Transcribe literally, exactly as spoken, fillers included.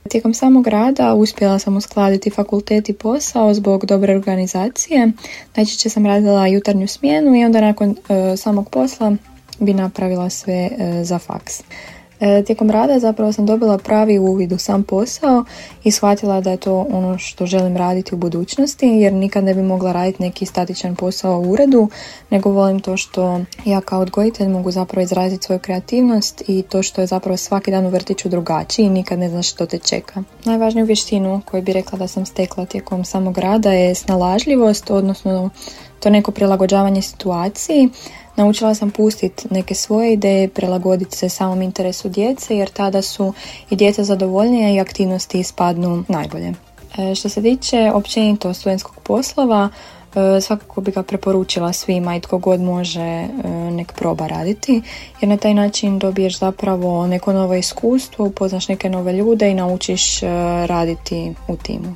Tijekom samog rada uspjela sam uskladiti fakultet i posao zbog dobre organizacije. Najčešće sam radila jutarnju smjenu i onda nakon e, samog posla bi napravila sve e, za faks. E, tijekom rada zapravo sam dobila pravi uvid u sam posao i shvatila da je to ono što želim raditi u budućnosti, jer nikad ne bi mogla raditi neki statičan posao u uredu, nego volim to što ja kao odgojitelj mogu zapravo izraziti svoju kreativnost i to što je zapravo svaki dan u vrtiću drugačiji i nikad ne znaš što te čeka. Najvažniju vještinu koju bi rekla da sam stekla tijekom samog rada je snalažljivost, odnosno to neko prilagođavanje situaciji. Naučila sam pustiti neke svoje ideje, prilagoditi se samom interesu djece, jer tada su i djeca zadovoljnija i aktivnosti ispadnu najbolje. E, što se tiče općenito studentskog poslova, e, svakako bi ga preporučila svima i tko god može e, nek proba raditi, jer na taj način dobiješ zapravo neko novo iskustvo, upoznaš neke nove ljude i naučiš e, raditi u timu.